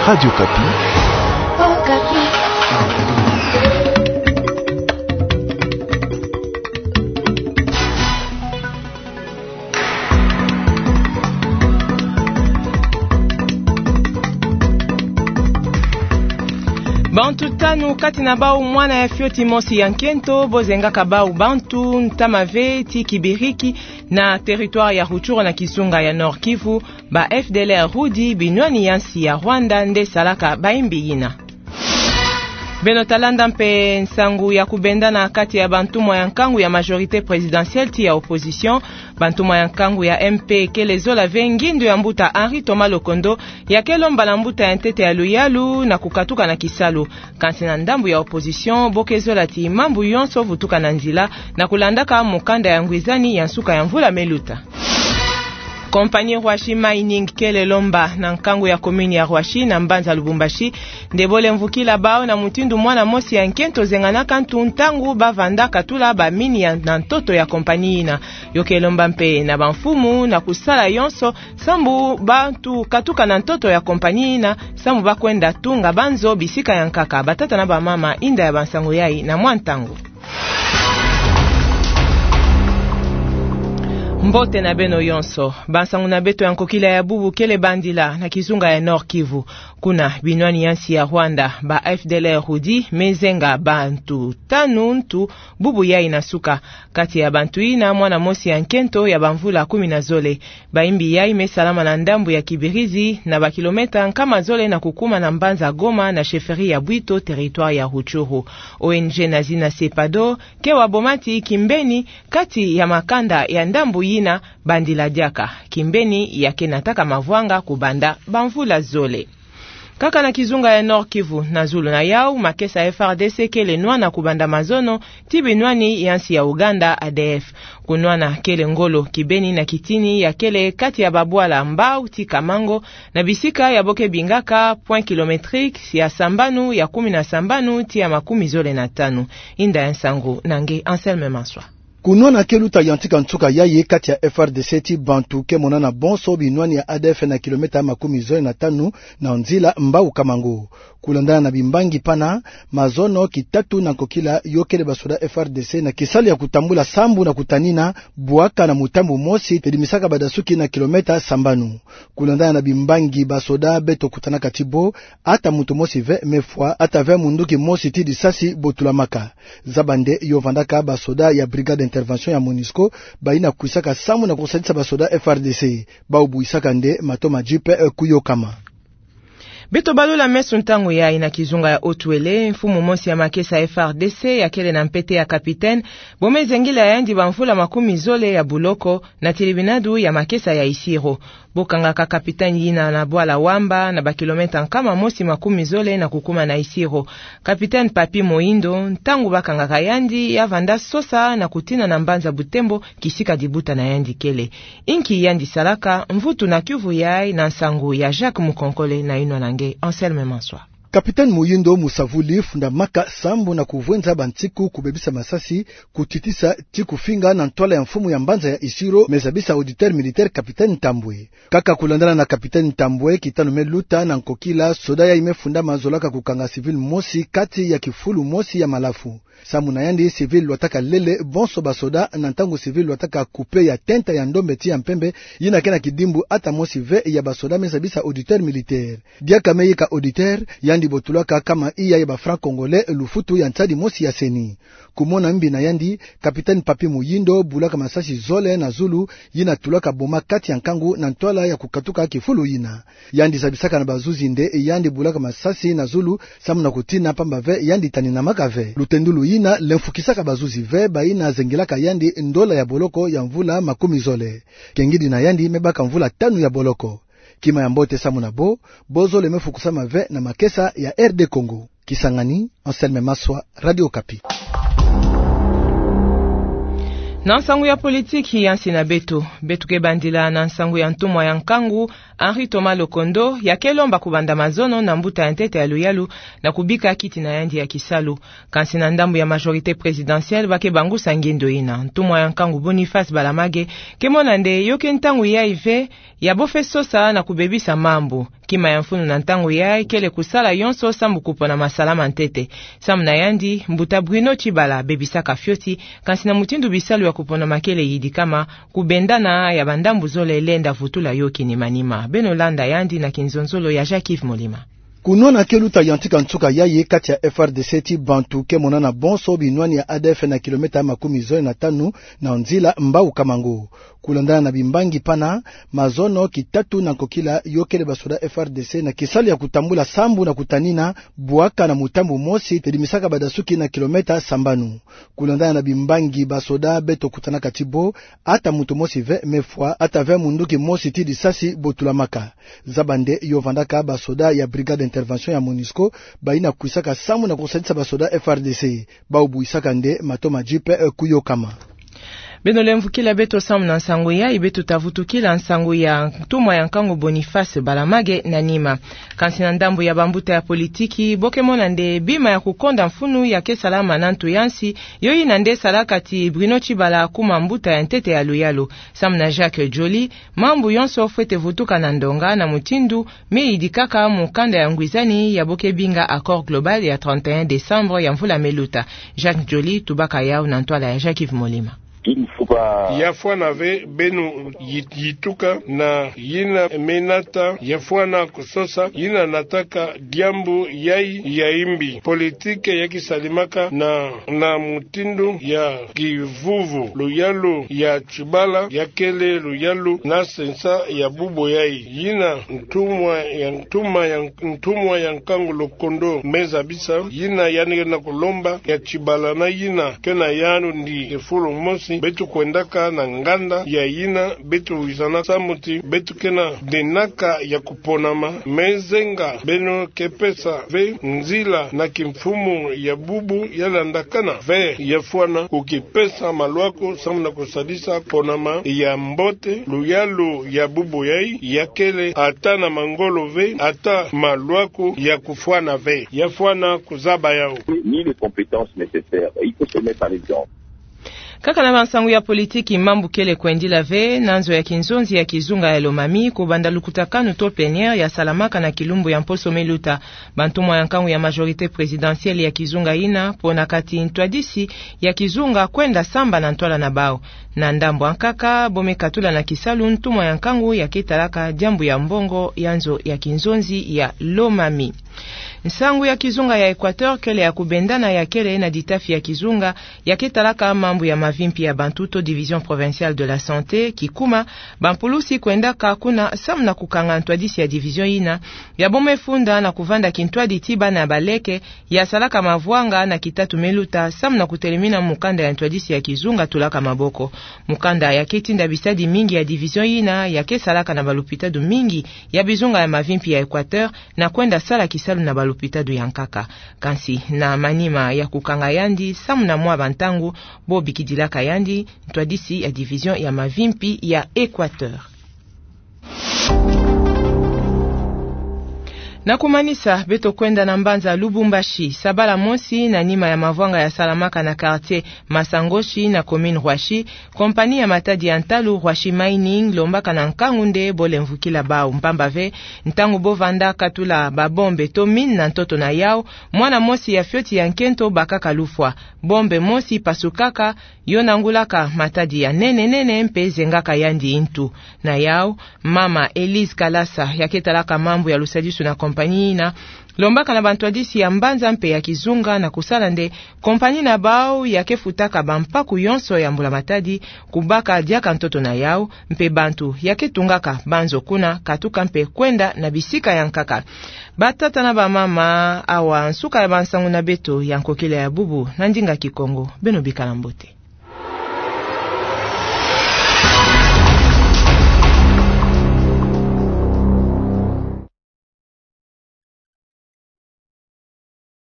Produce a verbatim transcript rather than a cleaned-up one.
Radio Okapi. Bantu tanu kati na bau mwana ya fioti mosi ya nkento bo zengaka bau bantu ntama ve ti kibiriki na territoire ya Rutshuru na kizunga ya Nord-Kivu, ba F D L R Rudi, binwani ya nsi ya Rwanda nde salaka bayimbi yina. Beno ta landa mpe nsangu ya kubendana kati ya bantumwa ya nkangu ya majorité présidentielle ti ya opposition. Bantumwa ya nkangu ya M P kele zola ve ngindu ya mbuta Henri Thomas Lokondo, ya ke lomba na mbuta ya ntete ya luyalu na kukatuka na kisalu. Kansi na ndambu ya opposition bo ke zola ti mambu yonso vutuka na nzila, na kulandaka mukanda ya ngwizani ya nsuka ya mvula me luta. Compagnie Rwashi Mining kele lomba na nkangu ya commune ya Rwashi na mbanza Lubumbashi nde bo lemvukila bau na mutindu mwana mosi ya nkento zenganaka ntu ntangu ba vanda katula ba mine ya, na ntoto ya compagnie yina. Yo ke lomba mpe na bamfumu na kusala yonso sambu bantu katuka na ntoto ya compagnie yina, sambu ba kwenda tunga banzo bisika ya nkaka. Batata na bamama, inda ya bansangu yai na mwa ntangu. Mbote na beno yonso. Bansangu na beto ya nkokila ya bubu kele bandila na kizunga ya Nord-Kivu. Kuna binwani ya nsi ya Rwanda, ba F D L R Rudi me zenga bantu tanu ntu bubu yai na nsuka. Kati ya bantu yina, mwana mosi ya nkento ya bamvula kumi na zole. Bayimbi yai me salama na ndambu ya Kibirizi, na ba kilomètre nkama zole na kukuma na mbanza Goma na chefferie ya Bwito, territoire ya Rutshuru. O N G na zina CEPADO ke wa boma ti kimbeni kati ya makanda ya ndambu yina bandila diaka, kimbeni ya ke nataka mavwanga kubanda bamvula zole. Kaka na kizunga ya Nord-Kivu, na zulu na yau, makesa F R D C kele nwana kubanda mazono ti binwani ya nsi ya Ouganda, A D F. Kunwana kele ngolo kibeni na kitini ya kele kati ya babwala Mbao ti Kamango, na bisika ya bo ke bingaka point kilométrique ya sambanu, ya kumi na sambanu ti ya makumi zole na tanu. Inda ya nsangu na nge Anselme Maswa. Kunwana ke luta yantika nsuka yai kati ya F R D C ti bantu ke monana bonso binwani ya A D F na kilomètre makumi zole na tanu na nzila Mbao Kamango. Kulandana na bimbangi pana, mazono kitatu na nkokila yo kele basoda F R D C na kisalu ya kutambula sambu na kutanina bwaka na mutambu mosi tedimisaka badasuki na kilomètre sambanu. Kulandana na bimbangi basoda beto kutanaka ti bo, ata muntu mosi ve me fwa, ata ve munduki mosi ti disasi bo tulamaka. Zaba nde yo vandaka basoda ya Brigade d'Intervention ya MONUSCO, bayina kwisaka sambu na kusadisa basoda F R D C. Bau buisaka nde mato ma jeep, eh, kuyokama. Beto balula meso ntangu yai na kizunga ya Haut-Uélé, mfumu mosi ya makesa F R D C ya kele na mpete ya capitaine, bo me zengila yandi bamvula makumi zole ya buloko na tilibinadu ya makesa ya Isiro. Bo kangaka capitaine yina na bwala Wamba, na ba kilomètre nkama mosi makumi zole na kukuma na Isiro. Capitaine Papy Mohindo, ntangu ba kangaka yandi, ya vanda sosa na kutina na mbanza Butembo, kisika dibuta na yandi kele. Inki yandi salaka? Mvutu na kiuvu yai na nsangu ya Jacques Mukonkole na yinwa na nge Anselme Maswa. Capitaine Mohindo, musavuli, fundamaka sambu na kuvwenza bansiku, kubebisa masasi, kutitisa ti kufinga na ntwala ya mfumu ya mbanza ya Isiro, me zabisa auditeur militaire capitaine Ntambwe. Kaka kulandana na capitaine Ntambwe, kitanu me luta na nkokila, soda yai me fundama zolaka kukanga civil mosi kati ya kifulu mosi ya malafu. Sambu na yandi, civil lwataka lele bonso basoda, na ntangu civil lwataka kupe ya tenta ya ndombe ti ya mpembe, yina ke na kidimbu ata mosi ve ya basoda, me zabisa auditeur militaire. Diaka me yeka auditeur, yandi bo tulaka kama iya ya ba francs congolais lufutu ya nsadi mosi ya CENI. Kumona mbi na yandi, capitaine Papy Mohindo bulaka masasi zole na zulu, yina tulaka boma kati ya nkangu na ntwala ya kukatuka kifulu yina. Yandi zabisaka na bazuzi nde yandi bulaka masasi na zulu, sambu na kutina pamba ve yandi taninamaka ve. Lutendulu yina lemfukisaka bazuzi ve, bayina zengilaka yandi ndola ya boloko ya mvula makumi zole. Kengidi na yandi me baka mvula tanu ya boloko. Kima ya mbote sambu na bo, bo zole me fukusama ve na makesa ya R D Congo. Kisangani, Anselme Maswa, Radio Okapi. Na nsangu ya politiki ya nsi na beto, beto ke bandila na nsangu ya ntumwa ya nkangu, Henri Thomas Lokondo, ya ke lomba kubanda mazono na mbuta ya ntete ya luyalu, na kubika kiti na yandi ya kisalu. Kansi na ndambu ya majorité présidentielle, ba ke bangusa ngindo ina. Ntumwa ya nkangu Boniface Balamage ke mona nde yo ke ntangu yayi ve ya bo fwe sosa na kubebisa mambu. Kima ya mfunu na ntangu yayi kele kusala yonso sambu kupona masala ma ntete. Samu na yandi, mbuta Bruno Tshibala bebisaka fioti, kansi na mutindu bisalu ya kupona ma kele yidikama, kubendana ya bandambu zole lenda vutula yo kinima-nima. Beno landa yandi na kinzonzolo ya Jacques-Yves Molima. Kunwana ke luta yantika nsuka yayi kati ya F R D C ti bantu ke monana bonso binwani ya A D F na kilomètre makumi zole na tanu na nzila Mbau-Kamango. Kulandana na bimbangi pana, mazono kitatu na nkokila yo kele basoda F R D C na kisalu ya kutambula sambu na kutanina bwaka na mutambu mosi tedimisaka badasuki na kilomètre sambanu. Kulandana na bimbangi basoda beto kutanaka ti bo, ata muntu mosi ve me fwa, ata ve munduki mosi ti disasi botulamaka. Zaba nde yo vandaka basoda ya Brigade d'Intervention ya MONUSCO, bayina kwisaka sambu na kusadisa basoda F R D C. Bau buisaka nde mato ma jeep, eh, kuyokama. Beno lemvukila beto sambu na nsangu yayi, beto ta vutukila nsangu ya ntumwa ya nkangu Boniface Balamage na nima. Kansi na ndambu ya bambuta ya politiki, bo ke mona nde bima ya kukonda mfunu ya ke salama na ntu ya nsi, yo yina nde salaka ti Bruno Tshibala akuma mbuta ya ntete ya luyalu. Samu na Jacques Joly, mambu yonso fwete vutuka na ndonga na mutindu me yidikaka mukanda ya ngwizani ya bo ke binga Accord Global ya trente et un décembre ya mvula me luta. Jacques Joly, tubaka yau na ntwala ya Jacques-Yves Molima. Il ne faut pas... Ya fwana ve beno yi-, yituka na yina me nata, ya fwana kusosa yina nataka diambu yayi ya imbi. Politiki ya kisalimaka na, na mutindu ya kivuvu. Luyalu ya Tshibala ya kele luyalu na sensa ya bubu yayi. Yina ntumwa ya, ntuma ya, ntumwa ya nkangu Lokondo me zabisa, yina yandi ke na kulomba ya Tshibala na yina ke na yandi ndi e fulu mosi, beto kwendaka na nganda ya yina beto wizana sambu ti beto ke na denaka ya kuponama. Me zenga beno ke pesa ve nzila na kimfumu ya bubu ya landakana ve, ya fwana kukipesa maluaku sambu na kusadisa ponama ya mbote. Luyalu ya bubu yayi ya kele ata na mangolo ve, ata maluaku ya kufwana ve. Ya fwana kuzaba yau. Ni les compétences nécessaires. Il faut se mettre en exemple. Kaka na bansangu ya politiki, mambu kele kwendila ve na nzo ya kinzonzi ya kizunga ya Lomami, kubanda lukutakanu to plénière ya salamaka na kilumbu ya mposo me luta. Bantumwa ya nkangu ya majorité présidentielle ya kizunga yina, ponaka ti ntwadisi ya kizunga kwenda samba na ntwala na bau. Na ndambu ankaka, bo me katula na kisalu ntumwa ya nkangu ya ke talaka diambu ya mbongo ya nzo ya kinzonzi ya Lomami. Nsangu ya kizunga ya Équateur kele ya kubendana ya kele na ditafi ya kizunga ya ke talaka mambu ya mavimpi ya bantu to Division provinciale de la santé, kikuma bampulusi kwendaka kuna samu na kukanga ntwadisi ya division yina, ya bo me funda na kuvanda kintwadi ti bana baleke ya salaka mavwanga na kitatu me luta samu na kutelemina mukanda ya ntwadisi ya kizunga tulaka maboko. Mukanda ya ke tinda bisadi mingi ya division yina ya ke salaka na balupitadu mingi ya bizunga ya mavimpi ya Équateur, na kwenda sala kisalu na balupitadu ya nkaka. Kansi na manima ya kukanga yandi samu na mwa bantangu, bo bikidilaka yandi ntwadisi ya division ya mavimpi ya Équateur. Na kumanisa, beto kwenda na mbanza Lubumbashi. Sabala mosi na nima ya mavwanga ya salamaka na quartier Masangoshi na commune Roissy, compagnie ya matadi ya ntalu Roissy Mining lombaka na nkangu nde bo lemvukila bau, mpamba ve ntangu bo vanda katula babombe to mine na ntoto na yau, mwana mosi ya fioti ya nkento bakaka lufwa. Bombe mosi pasukaka, yo nangulaka matadi ya nene nene mpe zengaka yandi ntu. Na yau, mama Elise Kalasa, ya ke talaka mambu ya lusadisu na compagnie yina, lombaka na bantwadisi ya mbanza mpe ya kizunga na kusala nde compagnie na bau ya ke futaka bampaku yonso ya mbula matadi, kubaka diaka ntoto na yau, mpe bantu ya ke tungaka banzo kuna katuka mpe kwenda na bisika ya nkaka. Batata na bamama, awa nsuka ya bansangu na beto ya nkokila ya bubu na ndinga Kikongo. Beno bikala mbote.